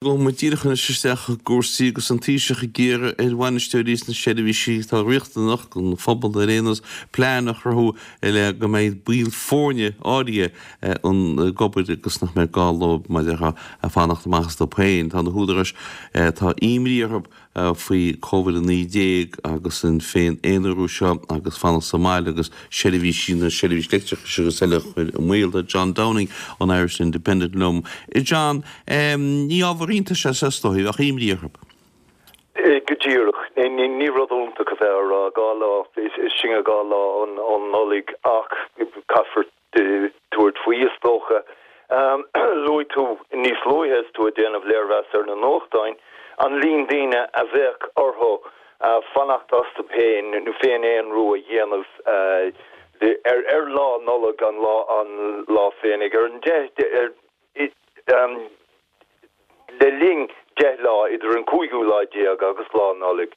Gabhfaidh muid díreach anois isteach i gcúrsaí agus an Taoiseach ag iarraidh ar bhainisteoirí sna seirbhísí atá riachtanach don phobal ar aon nós plean a chruthú le go mbeidh baill foirne áirithe ag obair agus nach mbeidh gá leo mar a déarfá fanacht amach astu féin. Tá na húdaráis tá imní orthu faoi Covid-19 agus an féin-aonarú seo agus fanacht sa mbaile agus seirbhísí na seirbhís leictreachais agus eile a chur i mbaol. Tá John Downing ón Irish Independent liom. John, ní ábhar iontais é seo is dóigh, bheadh imní orthu. Go díreach. Ní rud iontach a bheith á rá, 2 lá, is sinne 2 lá ón Nollaig ach caithfear tabhairt faoi, is dócha. Luaigh tú níos luaithe is tú ag déanamh léirmheas ar na nuachtáin, an líon daoine a bheadh orthu fanacht astu féin nó féin-aonrú a dhéanamh ar Lá Nollag, an lá an lá féinig, ar an 10, Le linn 10 lá idir an cúigiú lá déag agus Lá Nollag,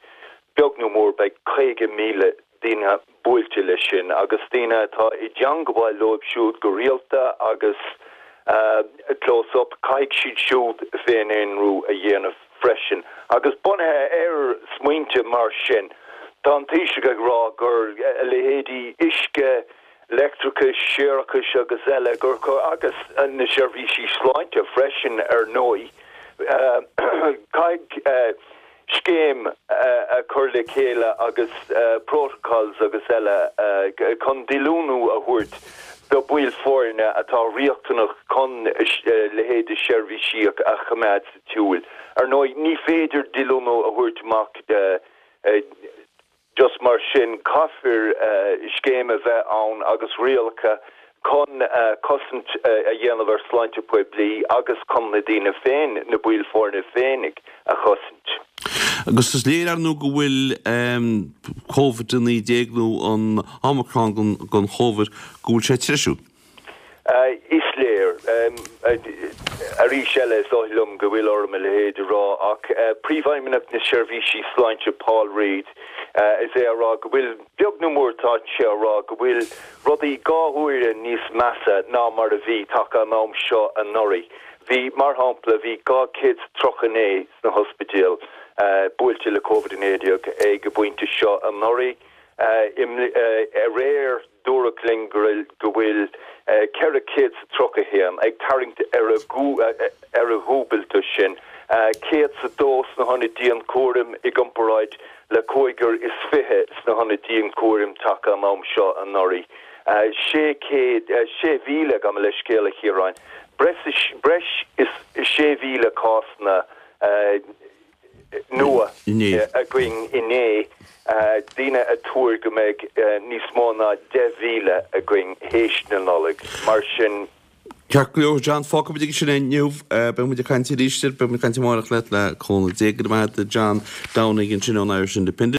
beag nó mór, beidh 50,000 duine buailte leis sin, agus daoine atá i dteangabháil leo siúd go rialta agus close up, caithfidh siad siúd féin-aonrú a dhéanamh freisin. Agus bunaithe ar smaointe mar sin, tá an Taoiseach ag rá gur a leithéidí uisce, leictreachais, séarachais agus eile, gur agus na seirbhísí sláinte freisin ar ndóigh. Caithfidh scéim a chur le chéile agus protocols agus eile chun díolúine a thabhairt do bhaill foirne atá riachtanach chun a leithéid de sheirbhísí a choimeád sa tsiúl. Ar ndóigh, ní féidir díolúine a thabhairt amach Just mar sin, caithfear scéim a bheith ann agus rialacha chun cosaint a dhéanamh ar sláinte poiblí agus chun na daoine féin, na baill foirne féinig, a chosaint. Agus is léir, ar ndóigh, go bhfuil Covid-19 nó an Omicron den Chóivid, go bhfuil sé ag treisiú. Is léir. Arís eile, is oth liom go bhfuil orm a leithéid a rá, ach Príomhfheidhmeannach na Seirbhísí Sláinte Paul Reid, is é á rá go bhfuil, beag nó mór tá sé á rá go bhfuil rudaí 2 huaire níos measa ná mar a bhí taca an am seo anuraidh. Bhí, mar shampla, bhí 239 sna hospidéil buailte le Covid-19 ag an bpointe seo anuraidh. Aréir, dúradh linn go bhfuil 431 ag tarraingt ar a dhúbailte sin, 102 sna hionaid dianchúraim i gcomparáid le cúigear is fiche sna hionaid dianchúraim taca an am seo anuraidh. 600, 6,000, gabh mo leithscéal a Chiaráin, breis is 6,000 cásanna nua againn inné, daoine ag tuar go mbeidh níos mó ná 10,000 againn théis na Nollag, mar sin. Ceart go leor, John, fágfaidh muid aige sin é inniu. Beidh muid ag caint arís, beidh muid ag caint amárach leat le cúnamh Dé. Go raibh maith agat, John Downing ansin ón Irish Independent.